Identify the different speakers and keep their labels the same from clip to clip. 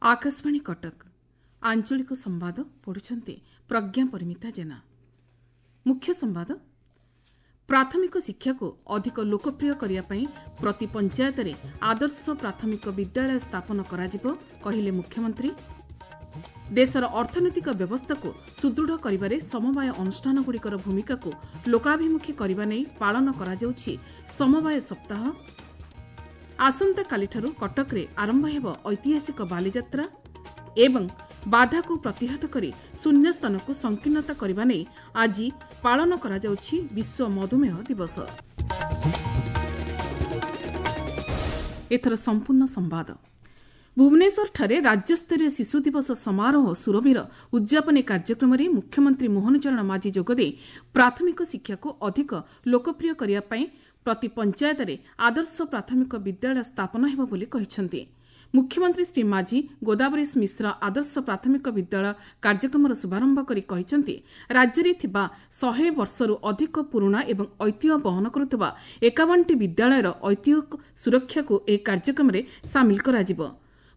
Speaker 1: ଆକାଶବାଣୀ କଟକ, ଆଞ୍ଚଳିକ ସମ୍ବାଦ ପଢ଼ୁଛନ୍ତି ପ୍ରଜ୍ଞା ପରିମିତା ଜେନା। ମୁଖ୍ୟ ସମ୍ବାଦ। ପ୍ରାଥମିକ ଶିକ୍ଷାକୁ ଅଧିକ ଲୋକପ୍ରିୟ କରିବା ପାଇଁ ପ୍ରତି ପଞ୍ଚାୟତରେ ଆଦର୍ଶ ପ୍ରାଥମିକ ବିଦ୍ୟାଳୟ ସ୍ଥାପନ କରାଯିବ, କହିଲେ ମୁଖ୍ୟମନ୍ତ୍ରୀ। ଦେଶର ଅର୍ଥନୈତିକ ବ୍ୟବସ୍ଥାକୁ ସୁଦୃଢ଼ କରିବାରେ ସମବାୟ ଅନୁଷ୍ଠାନଗୁଡ଼ିକର ଭୂମିକାକୁ ଲୋକାଭିମୁଖୀ କରିବା ନେଇ ପାଳନ କରାଯାଉଛି ସମବାୟ ସପ୍ତାହ। ଆସନ୍ତାକାଲିଠାରୁ କଟକରେ ଆରମ୍ଭ ହେବ ଐତିହାସିକ ବାଲିଯାତ୍ରା ଏବଂ ବାଧାକୁ ପ୍ରତିହତ କରି ଶୂନ୍ୟସ୍ଥାନକୁ ସଂକୀର୍ଣ୍ଣତା କରିବା ନେଇ ଆଜି ପାଳନ କରାଯାଉଛି ବିଶ୍ୱ ମଧୁମେହ ଦିବସ। ଏଥର ସମ୍ପୂର୍ଣ୍ଣ ସମ୍ବାଦ। ଭୁବନେଶ୍ୱରଠାରେ ରାଜ୍ୟସ୍ତରୀୟ ଶିଶୁ ଦିବସ ସମାରୋହ ସୁରଭିର ଉଦ୍ଯାପନୀ କାର୍ଯ୍ୟକ୍ରମରେ ମୁଖ୍ୟମନ୍ତ୍ରୀ ମୋହନ ଚରଣ ମାଝୀ ଯୋଗଦେଇ ପ୍ରାଥମିକ ଶିକ୍ଷାକୁ ଅଧିକ ଲୋକପ୍ରିୟ କରିବା ପାଇଁ ପ୍ରତି ପଞ୍ଚାୟତରେ ଆଦର୍ଶ ପ୍ରାଥମିକ ବିଦ୍ୟାଳୟ ସ୍ଥାପନ ହେବ ବୋଲି କହିଛନ୍ତି। ମୁଖ୍ୟମନ୍ତ୍ରୀ ଶ୍ରୀ ମାଝୀ ଗୋଦାବରୀଶ ମିଶ୍ର ଆଦର୍ଶ ପ୍ରାଥମିକ ବିଦ୍ୟାଳୟ କାର୍ଯ୍ୟକ୍ରମର ଶୁଭାରମ୍ଭ କରି କହିଛନ୍ତି, ରାଜ୍ୟରେ ଥିବା 100 ବର୍ଷରୁ ଅଧିକ ପୁରୁଣା ଏବଂ ଐତିହ୍ୟ ବହନ କରୁଥିବା 51ଟି ବିଦ୍ୟାଳୟର ଐତିହ୍ୟ ସୁରକ୍ଷାକୁ ଏହି କାର୍ଯ୍ୟକ୍ରମରେ ସାମିଲ କରାଯିବ।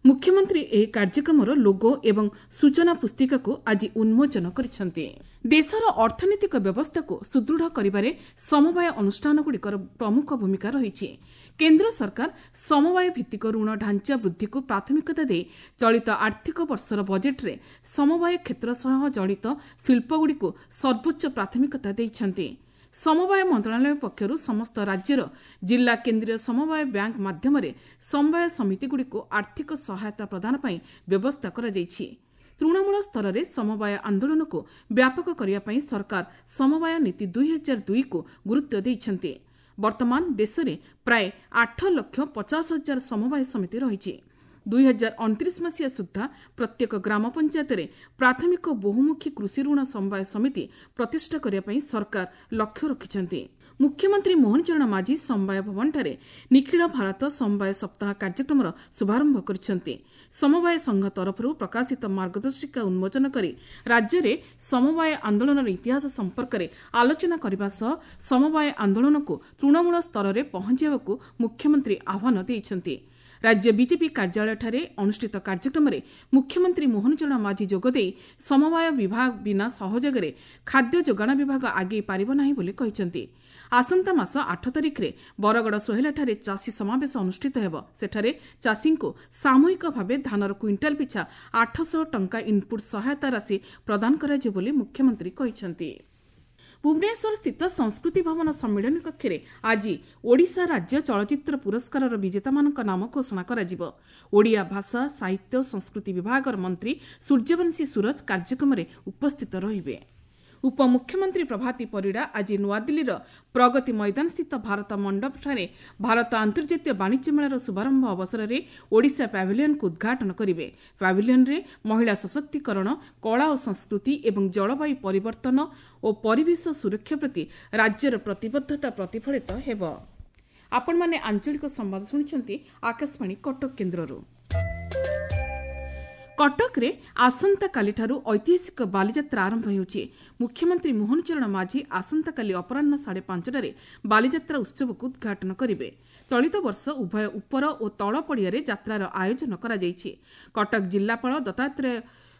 Speaker 1: ମୁଖ୍ୟମନ୍ତ୍ରୀ ଏହି କାର୍ଯ୍ୟକ୍ରମର ଲୋଗୋ ଏବଂ ସୂଚନା ପୁସ୍ତିକାକୁ ଆଜି ଉନ୍ମୋଚନ କରିଛନ୍ତି। ଦେଶର ଅର୍ଥନୈତିକ ବ୍ୟବସ୍ଥାକୁ ସୁଦୃଢ଼ କରିବାରେ ସମବାୟ ଅନୁଷ୍ଠାନଗୁଡ଼ିକର ପ୍ରମୁଖ ଭୂମିକା ରହିଛି। କେନ୍ଦ୍ର ସରକାର ସମବାୟ ଭିତ୍ତିକ ଋଣ ଢାଞ୍ଚା ବୃଦ୍ଧିକୁ ପ୍ରାଥମିକତା ଦେଇ ଚଳିତ ଆର୍ଥିକ ବର୍ଷର ବଜେଟ୍ରେ ସମବାୟ କ୍ଷେତ୍ର ସହ ଜଡ଼ିତ ଶିଳ୍ପଗୁଡ଼ିକୁ ସର୍ବୋଚ୍ଚ ପ୍ରାଥମିକତା ଦେଇଛନ୍ତି। ସମବାୟ ମନ୍ତ୍ରଣାଳୟ ପକ୍ଷରୁ ସମସ୍ତ ରାଜ୍ୟର ଜିଲ୍ଲା କେନ୍ଦ୍ରୀୟ ସମବାୟ ବ୍ୟାଙ୍କ ମାଧ୍ୟମରେ ସମବାୟ ସମିତିଗୁଡ଼ିକୁ ଆର୍ଥିକ ସହାୟତା ପ୍ରଦାନ ପାଇଁ ବ୍ୟବସ୍ଥା କରାଯାଇଛି। ତୃଣମୂଳ ସ୍ତରରେ ସମବାୟ ଆନ୍ଦୋଳନକୁ ବ୍ୟାପକ କରିବା ପାଇଁ ସରକାର ସମବାୟ ନୀତି 2002କୁ ଗୁରୁତ୍ୱ ଦେଇଛନ୍ତି। ବର୍ତ୍ତମାନ ଦେଶରେ ପ୍ରାୟ 8,50,000 ସମବାୟ ସମିତି ରହିଛି। 2029 ମସିହା ସୁଦ୍ଧା ପ୍ରତ୍ୟେକ ଗ୍ରାମ ପଞ୍ଚାୟତରେ ପ୍ରାଥମିକ ବହୁମୁଖୀ କୃଷି ଋଣ ସମବାୟ ସମିତି ପ୍ରତିଷ୍ଠା କରିବା ପାଇଁ ସରକାର ଲକ୍ଷ୍ୟ ରଖିଛନ୍ତି। ମୁଖ୍ୟମନ୍ତ୍ରୀ ମୋହନ ଚରଣ ମାଝୀ ସମବାୟ ଭବନଠାରେ ନିଖିଳ ଭାରତ ସମବାୟ ସପ୍ତାହ କାର୍ଯ୍ୟକ୍ରମର ଶୁଭାରମ୍ଭ କରିଛନ୍ତି। ସମବାୟ ସଂଘ ତରଫରୁ ପ୍ରକାଶିତ ମାର୍ଗଦର୍ଶିକା ଉନ୍ମୋଚନ କରି ରାଜ୍ୟରେ ସମବାୟ ଆନ୍ଦୋଳନର ଇତିହାସ ସମ୍ପର୍କରେ ଆଲୋଚନା କରିବା ସହ ସମବାୟ ଆନ୍ଦୋଳନକୁ ତୃଣମୂଳ ସ୍ତରରେ ପହଞ୍ଚାଇବାକୁ ମୁଖ୍ୟମନ୍ତ୍ରୀ ଆହ୍ୱାନ ଦେଇଛନ୍ତି। ରାଜ୍ୟ ବିଜେପି କାର୍ଯ୍ୟାଳୟଠାରେ ଅନୁଷ୍ଠିତ କାର୍ଯ୍ୟକ୍ରମରେ ମୁଖ୍ୟମନ୍ତ୍ରୀ ମୋହନ ଚରଣ ମାଝୀ ଯୋଗଦେଇ ସମବାୟ ବିଭାଗ ବିନା ସହଯୋଗରେ ଖାଦ୍ୟ ଯୋଗାଣ ବିଭାଗ ଆଗେଇ ପାରିବ ନାହିଁ ବୋଲି କହିଛନ୍ତି। ଆସନ୍ତା ମାସ 8 ତାରିଖରେ ବରଗଡ଼ ସୋହେଲାଠାରେ ଚାଷୀ ସମାବେଶ ଅନୁଷ୍ଠିତ ହେବ। ସେଠାରେ ଚାଷୀଙ୍କୁ ସାମୂହିକ ଭାବେ ଧାନର କୁଇଣ୍ଟାଲ ପିଛା 800 ଟଙ୍କା ଇନ୍ପୁଟ୍ ସହାୟତା ରାଶି ପ୍ରଦାନ କରାଯିବ ବୋଲି ମୁଖ୍ୟମନ୍ତ୍ରୀ କହିଛନ୍ତି। ଭୁବନେଶ୍ୱର ସ୍ଥିତ ସଂସ୍କୃତି ଭବନ ସମ୍ମିଳନୀ କକ୍ଷରେ ଆଜି ଓଡ଼ିଶା ରାଜ୍ୟ ଚଳଚ୍ଚିତ୍ର ପୁରସ୍କାରର ବିଜେତାମାନଙ୍କ ନାମ ଘୋଷଣା କରାଯିବ। ଓଡ଼ିଆ ଭାଷା, ସାହିତ୍ୟ ଓ ସଂସ୍କୃତି ବିଭାଗର ମନ୍ତ୍ରୀ ସୂର୍ଯ୍ୟବଂଶୀ ସୂରଜ କାର୍ଯ୍ୟକ୍ରମରେ ଉପସ୍ଥିତ ରହିବେ। ଉପମୁଖ୍ୟମନ୍ତ୍ରୀ ପ୍ରଭାତୀ ପରିଡ଼ା ଆଜି ନୂଆଦିଲ୍ଲୀର ପ୍ରଗତି ମଇଦାନସ୍ଥିତ ଭାରତ ମଣ୍ଡପଠାରେ ଭାରତ ଆନ୍ତର୍ଜାତୀୟ ବାଣିଜ୍ୟ ମେଳାର ଶୁଭାରମ୍ଭ ଅବସରରେ ଓଡ଼ିଶା ପ୍ୟାଭିଲିୟନକୁ ଉଦ୍ଘାଟନ କରିବେ। ପ୍ୟାଭିଲିୟନରେ ମହିଳା ସଶକ୍ତିକରଣ, କଳା ଓ ସଂସ୍କୃତି ଏବଂ ଜଳବାୟୁ ପରିବର୍ତ୍ତନ ଓ ପରିବେଶ ସୁରକ୍ଷା ପ୍ରତି ରାଜ୍ୟର ପ୍ରତିବଦ୍ଧତା ପ୍ରତିଫଳିତ ହେବ। ଆପଣମାନେ ଆଞ୍ଚଳିକ ସମ୍ବାଦ ଶୁଣୁଛନ୍ତି ଆକାଶବାଣୀ କଟକ କେନ୍ଦ୍ରରୁ। କଟକରେ ଆସନ୍ତାକାଲିଠାରୁ ଐତିହାସିକ ବାଲିଯାତ୍ରା ଆରମ୍ଭ ହେଉଛି। ମୁଖ୍ୟମନ୍ତ୍ରୀ ମୋହନ ଚରଣ ମାଝୀ ଆସନ୍ତାକାଲି ଅପରାହ୍ନ 5:30ରେ ବାଲିଯାତ୍ରା ଉତ୍ସବକୁ ଉଦ୍ଘାଟନ କରିବେ। ଚଳିତ ବର୍ଷ ଉଭୟ ଉପର ଓ ତଳ ପଡ଼ିଆରେ ଯାତ୍ରାର ଆୟୋଜନ କରାଯାଇଛି। କଟକ ଜିଲ୍ଲାପାଳ ଦତ୍ତାତ୍ରେୟ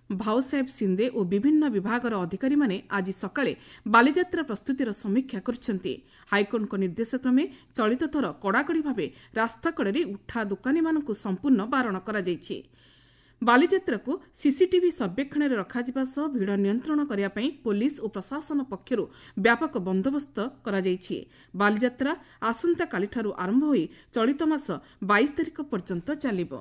Speaker 1: ଭାଉସାହେବ ସିନ୍ଦେ ଓ ବିଭିନ୍ନ ବିଭାଗର ଅଧିକାରୀମାନେ ଆଜି ସକାଳେ ବାଲିଯାତ୍ରା ପ୍ରସ୍ତୁତିର ସମୀକ୍ଷା କରିଛନ୍ତି। ହାଇକୋର୍ଟଙ୍କ ନିର୍ଦ୍ଦେଶକ୍ରମେ ଚଳିତ ଥର କଡ଼ାକଡ଼ି ଭାବେ ରାସ୍ତାକଡ଼ରେ ଉଠା ଦୋକାନୀମାନଙ୍କୁ ସମ୍ପୂର୍ଣ୍ଣ ବାରଣ କରାଯାଇଛି। ବାଲିଯାତ୍ରାକୁ ସିସିଟିଭି ସର୍ବେକ୍ଷଣରେ ରଖାଯିବା ସହ ଭିଡ଼ ନିୟନ୍ତ୍ରଣ କରିବା ପାଇଁ ପୋଲିସ ଓ ପ୍ରଶାସନ ପକ୍ଷରୁ ବ୍ୟାପକ ବନ୍ଦୋବସ୍ତ କରାଯାଇଛି। ବାଲିଯାତ୍ରା ଆସନ୍ତାକାଲିଠାରୁ ଆରମ୍ଭ ହୋଇ ଚଳିତ ମାସ 22 ତାରିଖ ପର୍ଯ୍ୟନ୍ତ ଚାଲିବ।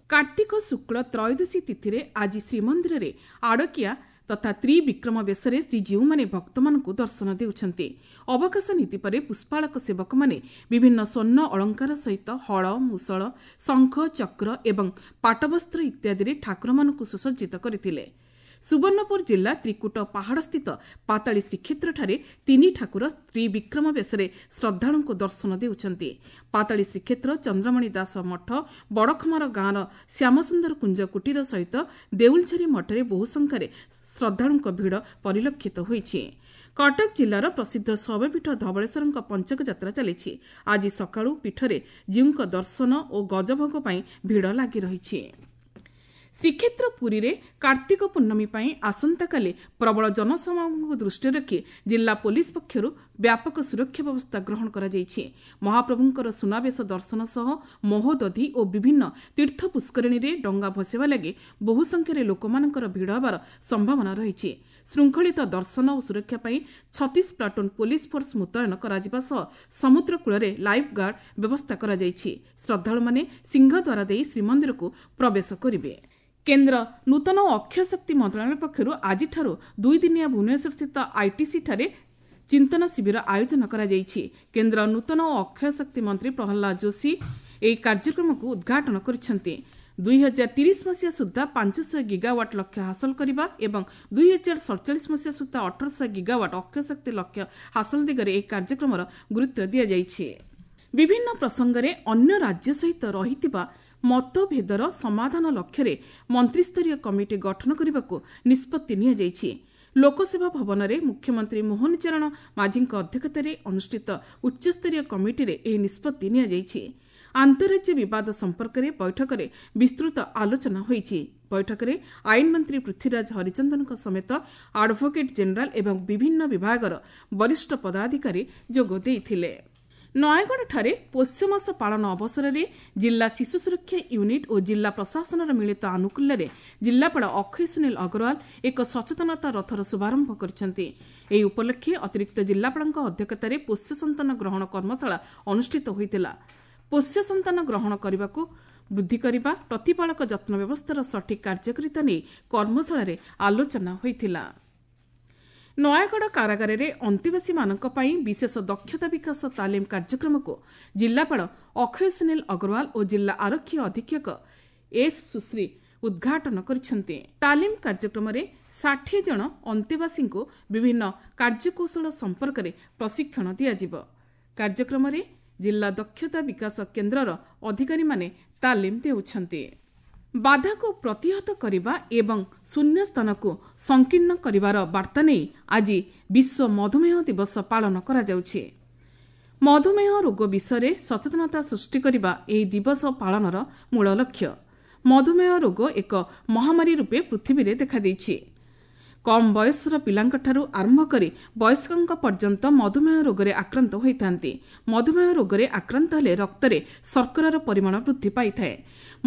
Speaker 1: କାର୍ତ୍ତିକ ଶୁକ୍ଳ ତ୍ରୟୋଦଶୀ ତିଥିରେ ଆଜି ଶ୍ରୀମନ୍ଦିରରେ ଆଡ଼କିଆ ତଥା ତ୍ରିବିକ୍ରମ ବେଶରେ ଶ୍ରୀଜୀଉମାନେ ଭକ୍ତମାନଙ୍କୁ ଦର୍ଶନ ଦେଉଛନ୍ତି। ଅବକାଶ ନୀତି ପରେ ପୁଷ୍ପାଳକ ସେବକମାନେ ବିଭିନ୍ନ ସ୍ୱର୍ଣ୍ଣ ଅଳଙ୍କାର ସହିତ ହଳ, ମୁଷଳ, ଶଙ୍ଖ, ଚକ୍ର ଏବଂ ପାଟବସ୍ତ୍ର ଇତ୍ୟାଦିରେ ଠାକୁରମାନଙ୍କୁ ସୁସଜ୍ଜିତ କରିଥିଲେ। ସୁବର୍ଣ୍ଣପୁର ଜିଲ୍ଲା ତ୍ରିକୁଟ ପାହାଡ଼ସ୍ଥିତ ପାତାଳୀ ଶ୍ରୀକ୍ଷେତ୍ରଠାରେ ତିନି ଠାକୁର ତ୍ରିବିକ୍ରମ ବେଶରେ ଶ୍ରଦ୍ଧାଳୁଙ୍କୁ ଦର୍ଶନ ଦେଉଛନ୍ତି। ପାତାଳୀ ଶ୍ରୀକ୍ଷେତ୍ର ଚନ୍ଦ୍ରମଣି ଦାସ ମଠ, ବଡ଼ଖମାର ଗାଁର ଶ୍ୟାମସୁନ୍ଦର କୁଞ୍ଜ କୁଟୀର ସହିତ ଦେଉଲଝରି ମଠରେ ବହୁ ସଂଖ୍ୟାରେ ଶ୍ରଦ୍ଧାଳୁଙ୍କ ଭିଡ଼ ପରିଲକ୍ଷିତ ହୋଇଛି। କଟକ ଜିଲ୍ଲାର ପ୍ରସିଦ୍ଧ ଶୈବପୀଠ ଧବଳେଶ୍ୱରଙ୍କ ପଞ୍ଚକ ଯାତ୍ରା ଚାଲିଛି। ଆଜି ସକାଳୁ ପୀଠରେ ଜୀଉଙ୍କ ଦର୍ଶନ ଓ ଗଜଭୋଗ ପାଇଁ ଭିଡ଼ ଲାଗି ରହିଛି। ଶ୍ରୀକ୍ଷେତ୍ର ପୁରୀରେ କାର୍ତ୍ତିକ ପୂର୍ଣ୍ଣମୀ ପାଇଁ ଆସନ୍ତାକାଲି ପ୍ରବଳ ଜନସମାଗମକୁ ଦୃଷ୍ଟିରେ ରଖି ଜିଲ୍ଲା ପୋଲିସ ପକ୍ଷରୁ ବ୍ୟାପକ ସୁରକ୍ଷା ବ୍ୟବସ୍ଥା ଗ୍ରହଣ କରାଯାଇଛି। ମହାପ୍ରଭୁଙ୍କର ସୁନାବେଶ ଦର୍ଶନ ସହ ମହୋଦଧି ଓ ବିଭିନ୍ନ ତୀର୍ଥ ପୁଷ୍କରିଣୀରେ ଡଙ୍ଗା ଭସାଇବା ଲାଗି ବହୁ ସଂଖ୍ୟାରେ ଲୋକମାନଙ୍କର ଭିଡ଼ ହେବାର ସମ୍ଭାବନା ରହିଛି। ଶୃଙ୍ଖଳିତ ଦର୍ଶନ ଓ ସୁରକ୍ଷା ପାଇଁ 36 ପ୍ଲାଟୁନ୍ ପୋଲିସ ଫୋର୍ସ ମୁତୟନ କରାଯିବା ସହ ସମୁଦ୍ର କୂଳରେ ଲାଇଫ୍ ଗାର୍ଡ ବ୍ୟବସ୍ଥା କରାଯାଇଛି। ଶ୍ରଦ୍ଧାଳୁମାନେ ସିଂହଦ୍ୱାର ଦେଇ ଶ୍ରୀମନ୍ଦିରକୁ ପ୍ରବେଶ କରିବେ। କେନ୍ଦ୍ର ନୂତନ ଓ ଅକ୍ଷୟ ଶକ୍ତି ମନ୍ତ୍ରଣାଳୟ ପକ୍ଷରୁ ଆଜିଠାରୁ 2 ଦିନିଆ ଭୁବନେଶ୍ୱରସ୍ଥିତ ଆଇଟିସିଠାରେ ଚିନ୍ତନ ଶିବିର ଆୟୋଜନ କରାଯାଇଛି। କେନ୍ଦ୍ର ନୂତନ ଓ ଅକ୍ଷୟ ଶକ୍ତି ମନ୍ତ୍ରୀ ପ୍ରହ୍ଲାଦ ଯୋଶୀ ଏହି କାର୍ଯ୍ୟକ୍ରମକୁ ଉଦ୍ଘାଟନ କରିଛନ୍ତି। 2030 ମସିହା ସୁଦ୍ଧା 500 ଗିଗାୱାଟ୍ ଲକ୍ଷ୍ୟ ହାସଲ କରିବା ଏବଂ 2047 ମସିହା ସୁଦ୍ଧା 1800 ଗିଗାୱାଟ୍ ଅକ୍ଷୟ ଶକ୍ତି ଲକ୍ଷ୍ୟ ହାସଲ ଦିଗରେ ଏହି କାର୍ଯ୍ୟକ୍ରମର ଗୁରୁତ୍ୱ ଦିଆଯାଇଛି। ବିଭିନ୍ନ ପ୍ରସଙ୍ଗରେ ଅନ୍ୟ ରାଜ୍ୟ ସହିତ ରହିଥିବା ମତଭେଦର ସମାଧାନ ଲକ୍ଷ୍ୟରେ ମନ୍ତ୍ରିସ୍ତରୀୟ କମିଟି ଗଠନ କରିବାକୁ ନିଷ୍ପତ୍ତି ନିଆଯାଇଛି। ଲୋକସେବା ଭବନରେ ମୁଖ୍ୟମନ୍ତ୍ରୀ ମୋହନ ଚରଣ ମାଝୀଙ୍କ ଅଧ୍ୟକ୍ଷତାରେ ଅନୁଷ୍ଠିତ ଉଚ୍ଚସ୍ତରୀୟ କମିଟିରେ ଏହି ନିଷ୍ପତ୍ତି ନିଆଯାଇଛି। ଆନ୍ତଃରାଜ୍ୟ ବିବାଦ ସମ୍ପର୍କରେ ବୈଠକରେ ବିସ୍ତୃତ ଆଲୋଚନା ହୋଇଛି। ବୈଠକରେ ଆଇନ ମନ୍ତ୍ରୀ ପୃଥ୍ୱୀରାଜ ହରିଚନ୍ଦନଙ୍କ ସମେତ ଆଡଭୋକେଟ୍ ଜେନେରାଲ ଏବଂ ବିଭିନ୍ନ ବିଭାଗର ବରିଷ୍ଠ ପଦାଧିକାରୀ ଯୋଗ ଦେଇଥିଲେ। ନୟାଗଡ଼ଠାରେ ପୌଷ ମାସ ପାଳନ ଅବସରରେ ଜିଲ୍ଲା ଶିଶୁ ସୁରକ୍ଷା ୟୁନିଟ୍ ଓ ଜିଲ୍ଲା ପ୍ରଶାସନର ମିଳିତ ଆନୁକୂଲ୍ୟରେ ଜିଲ୍ଲାପାଳ ଅକ୍ଷୟ ସୁନୀଲ ଅଗ୍ରୱାଲ ଏକ ସଚେତନତା ରଥର ଶୁଭାରମ୍ଭ କରିଛନ୍ତି। ଏହି ଉପଲକ୍ଷେ ଅତିରିକ୍ତ ଜିଲ୍ଲାପାଳଙ୍କ ଅଧ୍ୟକ୍ଷତାରେ ପୋଷ୍ୟ ସନ୍ତାନ ଗ୍ରହଣ କର୍ମଶାଳା ଅନୁଷ୍ଠିତ ହୋଇଥିଲା। ପୋଷ୍ୟ ସନ୍ତାନ ଗ୍ରହଣ କରିବାକୁ ବୃଦ୍ଧି କରିବା, ପ୍ରତିପାଳକ ଯତ୍ନ ବ୍ୟବସ୍ଥାର ସଠିକ୍ କାର୍ଯ୍ୟକାରିତା ନେଇ କର୍ମଶାଳାରେ ଆଲୋଚନା ହୋଇଥିଲା। ନୟାଗଡ଼ କାରାଗାରରେ ଅନ୍ତେବାସୀମାନଙ୍କ ପାଇଁ ବିଶେଷ ଦକ୍ଷତା ବିକାଶ ତାଲିମ କାର୍ଯ୍ୟକ୍ରମକୁ ଜିଲ୍ଲାପାଳ ଅକ୍ଷୟ ସୁନୀଲ ଅଗ୍ରୱାଲ ଓ ଜିଲ୍ଲା ଆରକ୍ଷୀ ଅଧୀକ୍ଷକ ଏସ୍ ସୁଶ୍ରୀ ଉଦ୍ଘାଟନ କରିଛନ୍ତି। ତାଲିମ କାର୍ଯ୍ୟକ୍ରମରେ 60 ଜଣ ଅନ୍ତେବାସୀଙ୍କୁ ବିଭିନ୍ନ କାର୍ଯ୍ୟକୌଶଳ ସମ୍ପର୍କରେ ପ୍ରଶିକ୍ଷଣ ଦିଆଯିବ। କାର୍ଯ୍ୟକ୍ରମରେ ଜିଲ୍ଲା ଦକ୍ଷତା ବିକାଶ କେନ୍ଦ୍ରର ଅଧିକାରୀମାନେ ତାଲିମ ଦେଉଛନ୍ତି। ବାଧାକୁ ପ୍ରତିହତ କରିବା ଏବଂ ଶୂନ୍ୟସ୍ଥାନକୁ ସଂକୀର୍ଣ୍ଣ କରିବାର ବାର୍ତ୍ତା ନେଇ ଆଜି ବିଶ୍ୱ ମଧୁମେହ ଦିବସ ପାଳନ କରାଯାଉଛି। ମଧୁମେହ ରୋଗ ବିଷୟରେ ସଚେତନତା ସୃଷ୍ଟି କରିବା ଏହି ଦିବସ ପାଳନର ମୂଳ ଲକ୍ଷ୍ୟ। ମଧୁମେହ ରୋଗ ଏକ ମହାମାରୀ ରୂପେ ପୃଥିବୀରେ ଦେଖାଦେଇଛି। କମ୍ ବୟସର ପିଲାଙ୍କଠାରୁ ଆରମ୍ଭ କରି ବୟସ୍କଙ୍କ ପର୍ଯ୍ୟନ୍ତ ମଧୁମେହ ରୋଗରେ ଆକ୍ରାନ୍ତ ହୋଇଥାନ୍ତି। ମଧୁମେହ ରୋଗରେ ଆକ୍ରାନ୍ତ ହେଲେ ରକ୍ତରେ ଶର୍କରାର ପରିମାଣ ବୃଦ୍ଧି ପାଇଥାଏ।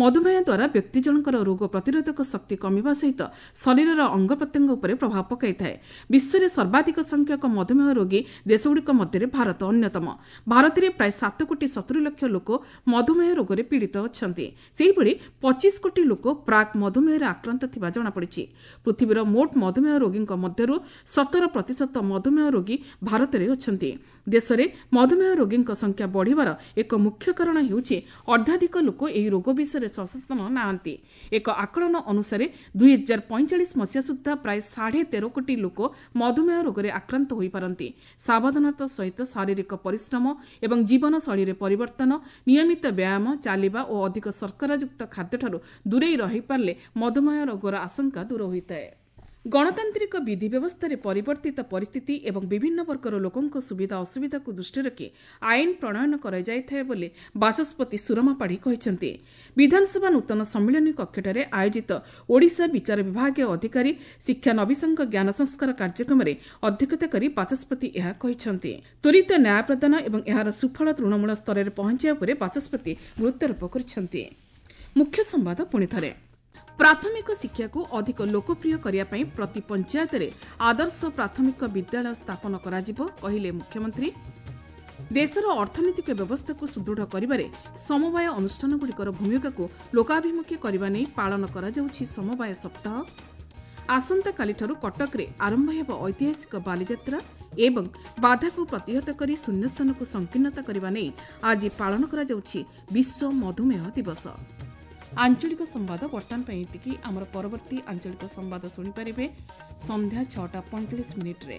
Speaker 1: ମଧୁମେହ ଦ୍ୱାରା ବ୍ୟକ୍ତି ଜଣଙ୍କର ରୋଗ ପ୍ରତିରୋଧକ ଶକ୍ତି କମିବା ସହିତ ଶରୀରର ଅଙ୍ଗ ପ୍ରତ୍ୟଙ୍ଗ ଉପରେ ପ୍ରଭାବ ପକାଇଥାଏ। ବିଶ୍ୱରେ ସର୍ବାଧିକ ସଂଖ୍ୟକ ମଧୁମେହ ରୋଗୀ ଦେଶଗୁଡ଼ିକ ମଧ୍ୟରେ ଭାରତ ଅନ୍ୟତମ। ଭାରତରେ ପ୍ରାୟ 7 କୋଟି 70 ଲକ୍ଷ ଲୋକ ମଧୁମେହ ରୋଗରେ ପୀଡ଼ିତ ଅଛନ୍ତି। ସେହିଭଳି 25 କୋଟି ଲୋକ ପ୍ରାକ୍ ମଧୁମେହରେ ଆକ୍ରାନ୍ତ ଥିବା ଜଣାପଡ଼ିଛି। ପୃଥିବୀର ମୋଟ ମଧୁମେହ ରୋଗୀଙ୍କ ମଧ୍ୟରୁ 17% ମଧୁମେହ ରୋଗୀ ଭାରତରେ ଅଛନ୍ତି। ଦେଶରେ ମଧୁମେହ ରୋଗୀଙ୍କ ସଂଖ୍ୟା ବଢ଼ିବାର ଏକ ମୁଖ୍ୟ କାରଣ ହେଉଛି, ଅର୍ଦ୍ଧାଧିକ ଲୋକ ଏହି ରୋଗ ବିଷୟରେ ସଚେତନ ନାହାନ୍ତି। ଏକ ଆକଳନ ଅନୁସାରେ, 2045 ମସିହା ସୁଦ୍ଧା ପ୍ରାୟ 13.5 କୋଟି ଲୋକ ମଧୁମେହ ରୋଗରେ ଆକ୍ରାନ୍ତ ହୋଇପାରନ୍ତି। ସାବଧାନତା ସହିତ ଶାରୀରିକ ପରିଶ୍ରମ ଏବଂ ଜୀବନଶୈଳୀରେ ପରିବର୍ତ୍ତନ, ନିୟମିତ ବ୍ୟାୟାମ, ଚାଲିବା ଓ ଅଧିକ ଶର୍କରାଯୁକ୍ତ ଖାଦ୍ୟଠାରୁ ଦୂରେଇ ରହିପାରିଲେ ମଧୁମେହ ରୋଗର ଆଶଙ୍କା ଦୂର ହୋଇଥାଏ। ଗଣତାନ୍ତ୍ରିକ ବିଧି ବ୍ୟବସ୍ଥାରେ ପରିବର୍ତ୍ତିତ ପରିସ୍ଥିତି ଏବଂ ବିଭିନ୍ନ ବର୍ଗର ଲୋକଙ୍କ ସୁବିଧା ଅସୁବିଧାକୁ ଦୃଷ୍ଟିରେ ରଖି ଆଇନ ପ୍ରଣୟନ କରାଯାଇଥାଏ ବୋଲି ବାଚସ୍ପତି ସୁରମା ପାଢ଼ୀ କହିଛନ୍ତି। ବିଧାନସଭା ନୂତନ ସମ୍ମିଳନୀ କକ୍ଷଠାରେ ଆୟୋଜିତ ଓଡ଼ିଶା ବିଚାର ବିଭାଗୀୟ ଅଧିକାରୀ ଶିକ୍ଷାନବିଶଙ୍କ ଜ୍ଞାନ ସଂସ୍କାର କାର୍ଯ୍ୟକ୍ରମରେ ଅଧ୍ୟକ୍ଷତା କରି ବାଚସ୍ପତି ଏହା କହିଛନ୍ତି। ତ୍ୱରିତ ନ୍ୟାୟ ପ୍ରଦାନ ଏବଂ ଏହାର ସୁଫଳ ତୃଣମୂଳ ସ୍ତରରେ ପହଞ୍ଚାଇବା ଉପରେ ବାଚସ୍ପତି ଗୁରୁତ୍ୱାରୋପ କରିଛନ୍ତି। ମୁଖ୍ୟ ସମ୍ବାଦ ପୁଣି ଥରେ। ପ୍ରାଥମିକ ଶିକ୍ଷାକୁ ଅଧିକ ଲୋକପ୍ରିୟ କରିବା ପାଇଁ ପ୍ରତି ପଞ୍ଚାୟତରେ ଆଦର୍ଶ ପ୍ରାଥମିକ ବିଦ୍ୟାଳୟ ସ୍ଥାପନ କରାଯିବ, କହିଲେ ମୁଖ୍ୟମନ୍ତ୍ରୀ। ଦେଶର ଅର୍ଥନୈତିକ ବ୍ୟବସ୍ଥାକୁ ସୁଦୃଢ଼ କରିବାରେ ସମବାୟ ଅନୁଷ୍ଠାନଗୁଡ଼ିକର ଭୂମିକାକୁ ଲୋକାଭିମୁଖୀ କରିବା ନେଇ ପାଳନ କରାଯାଉଛି ସମବାୟ ସପ୍ତାହ। ଆସନ୍ତାକାଲିଠାରୁ କଟକରେ ଆରମ୍ଭ ହେବ ଐତିହାସିକ ବାଲିଯାତ୍ରା ଏବଂ ବାଧାକୁ ପ୍ରତିହତ କରି ଶୂନ୍ୟସ୍ଥାନକୁ ସଂକୀର୍ଣ୍ଣତା କରିବା ନେଇ ଆଜି ପାଳନ କରାଯାଉଛି ବିଶ୍ୱ ମଧୁମେହ ଦିବସ। ଆଞ୍ଚଳିକ ସମ୍ବାଦ ବର୍ତ୍ତମାନ ପାଇଁ ଏତିକି। ଆମର ପରବର୍ତ୍ତୀ ଆଞ୍ଚଳିକ ସମ୍ବାଦ ଶୁଣିପାରିବେ ସନ୍ଧ୍ୟା 6ଟା 45 ମିନିଟ୍ରେ।